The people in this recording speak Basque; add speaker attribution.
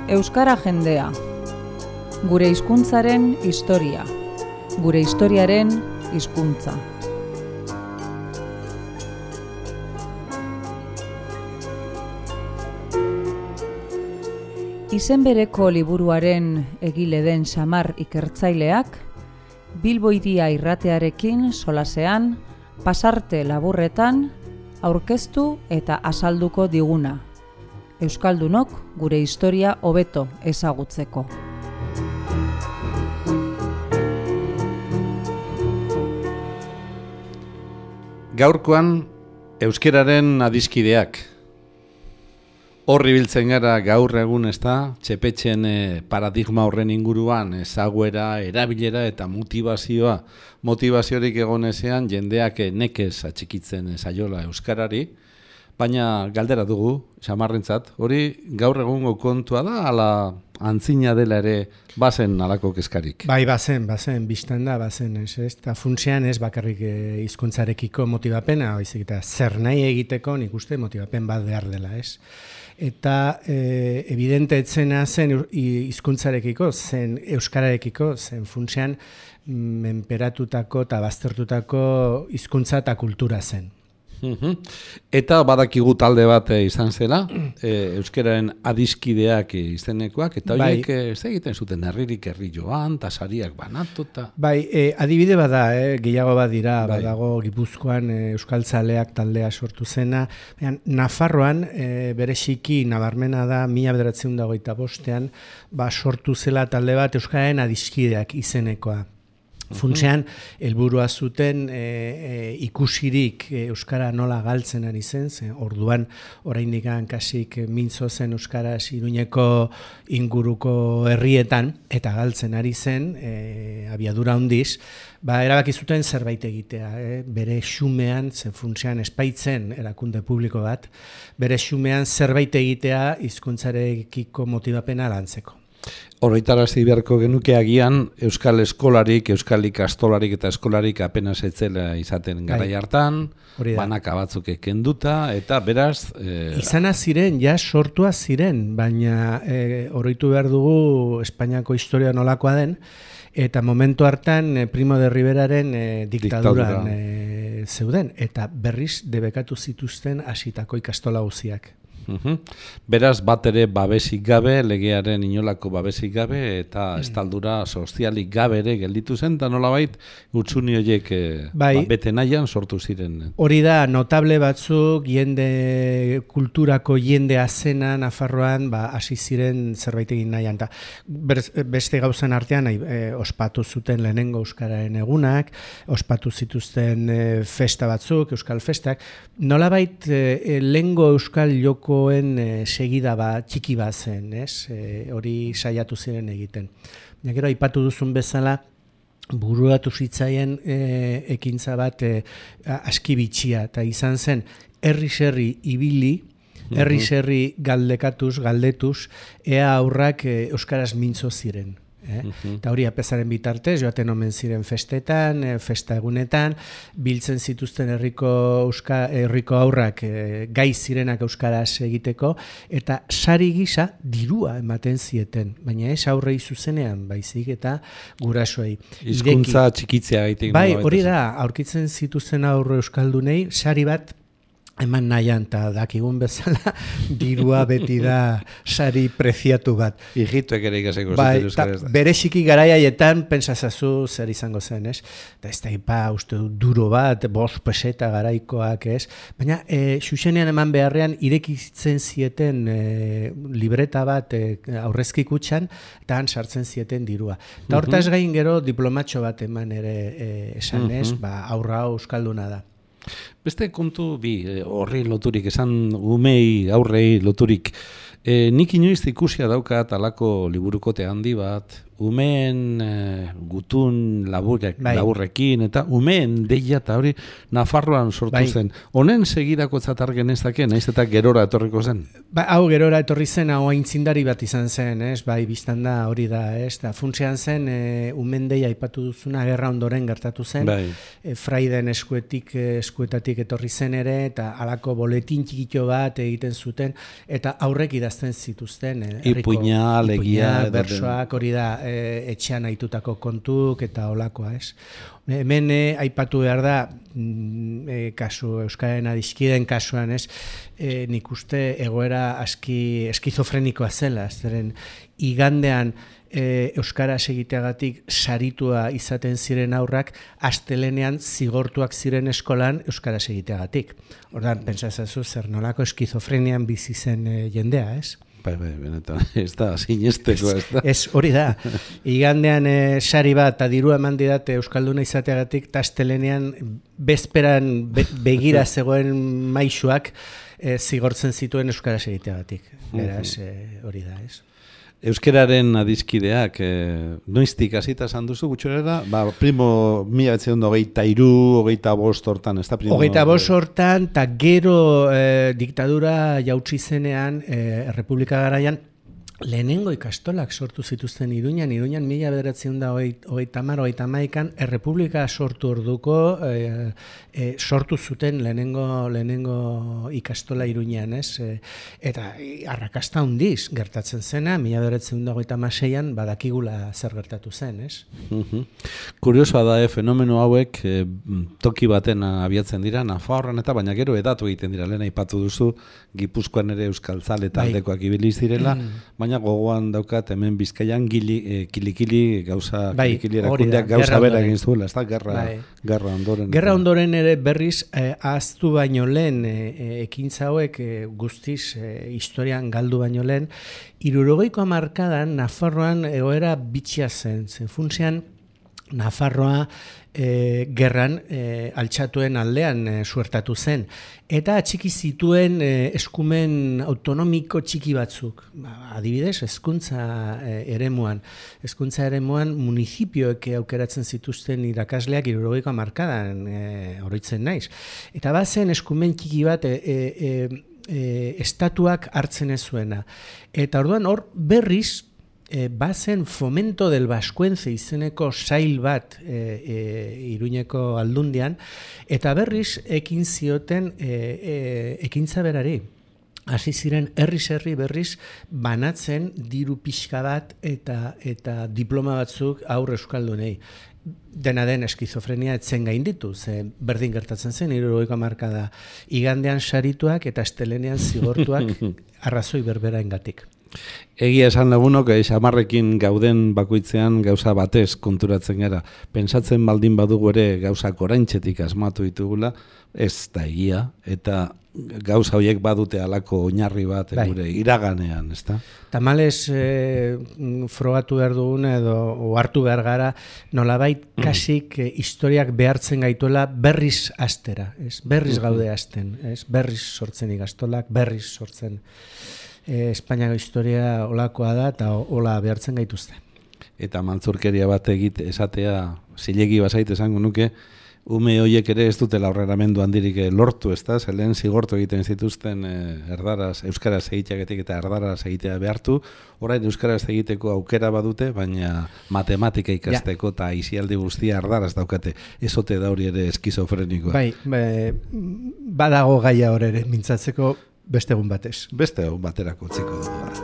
Speaker 1: Euskara jendea. Gure hizkuntzaren historia. Gure historiaren hizkuntza. Izen bereko liburuaren egile den Samar ikertzaileak, Bilbo Hiria irratearekin solasean, pasarte laburretan, aurkeztu eta azalduko diguna. Euskaldunok gure historia hobeto ezagutzeko.
Speaker 2: Gaurkoan euskeraren adiskideak. Horri biltzen gara gaur egun txepetxen paradigma horren inguruan ezaguera, erabilera eta motivazioa. Motivaziorik egonezean jendeak nekez atxikitzen zaiola euskarari, baina galdera dugu, Samarrentzat, hori gaur egungo kontua da, ala antzina dela ere bazen alako kezkarik?
Speaker 3: Bai, bazen, biztan da, bazen, ez? Eta funtsean ez bakarrik hizkuntzarekiko motibapena, baizik eta zer nahi egiteko nik uste motibapen bat behar dela, ez? Eta evidente etzena zen hizkuntzarekiko, zen euskararekiko, zen funtsean menperatutako eta baztertutako hizkuntza eta kultura zen.
Speaker 2: Eta badakigu talde bat izan zela, euskararen adiskideak izenekoak, eta horiek ez egiten zuten herririk herri joan, eta sariak banatuta.
Speaker 3: Bai, adibide bada, gehiago bat dira, badago Gipuzkoan euskaltzaleak taldea sortu zena, Nafarroan bereziki nabarmena da 1925ean sortu zela talde bat euskararen adiskideak izenekoa. Funtsean, helburua zuten ikusirik euskara nola galtzen ari zen, orduan oraindik kasik mintzo zen euskaraz Iruñeko inguruko herrietan, eta galtzen ari zen, abiadura handiz, erabaki zuten zerbait egitea, bere xumean, funtsean espaitzen erakunde publiko bat, bere xumean zerbait egitea hizkuntzarekiko motibapena lantzeko.
Speaker 2: Horretarazi beharko genuke agian euskal eskolarik, euskal ikastolarik eta eskolarik apenas etzela izaten garai hartan, banaka batzuk kenduta, eta beraz...
Speaker 3: Izana ziren, sortua ziren, baina oroitu behar dugu Espainiako historia nolakoa den, eta momentu hartan Primo de Riveraren diktaduran zeuden, eta berriz debekatu zituzten hasitako ikastola guztiak.
Speaker 2: Beraz, bat ere babesik gabe, legearen inolako babesik gabe, eta estaldura sozialik gabe ere gelditu zen, eta nolabait hutsuni horiek bete nahian sortu ziren.
Speaker 3: Hori da, notable batzuk, kulturako jendea zena Nafarroan, hasi ziren zerbait egin nahian. Beste gauzan artean, ospatu zuten lehenengo euskararen egunak, ospatu zituzten festa batzuk, euskal festak, nolabait lehengo euskal joko segida txiki bat zen, hori saiatu ziren egiten. Gero aipatu duzun bezala, buruatu zitzaien ekintza bat aski bitxia, eta izan zen herri-herri ibili, herri-herri galdetuz, ea aurrak euskaraz mintzo ziren. Eta hori apesaren bitartez, joaten omen ziren festetan, festa egunetan, biltzen zituzten herriko aurrak gai zirenak euskaraz egiteko, eta sari gisa dirua ematen zieten, baina ez aurrei zuzenean, baizik eta gurasoei.
Speaker 2: Hizkuntza txikitzea gaitik.
Speaker 3: Bai, hori da, aurkitzen zituzten aurre euskaldunei, sari bat eman nahian, eta dakigun bezala, dirua beti da sari preziatu bat.
Speaker 2: Hijituek ere ikaseko zuten euskaraz da.
Speaker 3: Bereziki garaiaietan, pentsazazu zer izango zen, ez? Eta ez da uste duro bat, 5 peseta garaikoak, ez? Baina, xuxenean eman beharrean, irekitzen zieten libreta bat aurrezki kutxan, eta han sartzen zieten dirua. Eta hortaz gain gero diplomatxo bat eman ere esan, ez? Aurra euskalduna da.
Speaker 2: Beste kontu horri loturik, esan umei aurrei loturik. Nik inoiz ikusia daukat alako liburukote handi bat, umeen gutun laburrekin, eta umeen deia eta hori Nafarroan sortu zen. Honen segidako zatar genezake, naiz eta gerora etorriko zen?
Speaker 3: Hau gerora etorri zen, hau aintzindari bat izan zen, biztan da hori da, funtsean zen, umeen deia aipatu duzuna, gerra ondoren gertatu zen, fraiden eskuetatik etorri zen ere, eta halako boletin txikito bat egiten zuten, eta aurrek idazten idazten zituzten.
Speaker 2: Ipuina, alegia.
Speaker 3: Bersoak, hori da, etxean aitutako kontuk eta olakoa, ez? Hemen aipatu behar da, kasu, Euskararen adiskideen kasuan, ez? Nik uste egoera aski eskizofrenikoa zela, zeren igandean Euskaraz egiteagatik saritua izaten ziren aurrak, astelenean zigortuak ziren eskolan Euskaraz egiteagatik. Ordan, pentsazazu zer nolako eskizofrenian bizi zen jendea, ez?
Speaker 2: Bai, benetan, ez da, sinesteko, ez da.
Speaker 3: Ez, hori da. Igandean sari bat, eta dirua eman didate Euskalduna izateagatik, eta astelenean bezperan begira zegoen maisuak zigortzen zituen Euskaraz egiteagatik. Beraz, hori da, ez?
Speaker 2: Euskararen adiskideak, noiztik hasita esan duzu, gutxorera? Primo 1923, 25 hortan, ez da?
Speaker 3: 25 hortan, eta gero diktadura jautsi zenean, Errepublika garaian, lehenengo ikastolak sortu zituzten Iruñan 1930-31 Errepublika sortu orduko sortu zuten lehenengo ikastola Iruñan, ez? Eta arrakasta handiz gertatzen zena, 1936an badakigula zer gertatu zen, ez?
Speaker 2: Kuriosoa da, fenomeno hauek toki baten abiatzen dira, Nafarroan eta baina gero edatu egiten dira, lehen aipatu duzu, Gipuzkoan ere euskaltzale taldekoak ibili zirela, baina gogoan daukat hemen Bizkaian kilikili gauza erakundeak gauza bera egin zuela, ez da, gerra ondoren.
Speaker 3: Gerra ondoren ere berriz ahaztu baino lehen, ekintza hauek guztiz historian galdu baino lehen, 60ko hamarkadan Nafarroan egoera bitxia zen, funtsean Nafarroa gerran altxatuen aldean suertatu zen. Eta atxiki zituen eskumen autonomiko txiki batzuk. Adibidez, hezkuntza eremuan. Hezkuntza eremuan municipioek aukeratzen zituzten irakasleak 60ko hamarkadan oroitzen naiz. Eta bazen eskumen txiki bat estatuak hartzen ez zuena. Eta orduan hor berriz, bazen Fomento del Vascuence izeneko sail bat Iruñeko aldundian, eta berriz ekin zioten ekintza berari. Hasi ziren herri berriz banatzen diru pixka bat eta diploma batzuk aurre euskaldunei. Dena den eskizofrenia etzen gainditu, ze berdin gertatzen zen, 60ko hamarkada igandean sarituak eta astelenean zigortuak arrazoi berberaengatik.
Speaker 2: Egia esan lagunok, xamarrekin gauden bakoitzean gauza batez konturatzen gara. Pentsatzen baldin badugu ere gauzak oraintzetik asmatu ditugula, ez da egia, eta gauza horiek badute halako oinarri bat gure iraganean, ezta?
Speaker 3: Tamales frogatu behar dugun edo hartu behar gara, nolabait kasik historiak behartzen gaituela berriz astera, ez? Berriz gaude hasten, ez? Berriz sortzen ikastolak, berriz sortzen Espainiako historia olakoa da eta ola behartzen gaituzte.
Speaker 2: Eta maltzurkeria bat esatea zilegi bazait esango nuke, ume horiek ere ez dutela aurreramendu handirik lortu, ez da? Lehen zigortu egiten zituzten euskaraz egiteagetik eta erdaraz egitea behartu, orain euskaraz egiteko aukera badute, baina matematika ikasteko eta isialdi guztia erdaraz daukate, ezote da hori ere eskizofrenikoa.
Speaker 3: Bai, badago gaia hor ere, mintzatzeko beste egun batez.
Speaker 2: Beste egun baterako utziko dugu.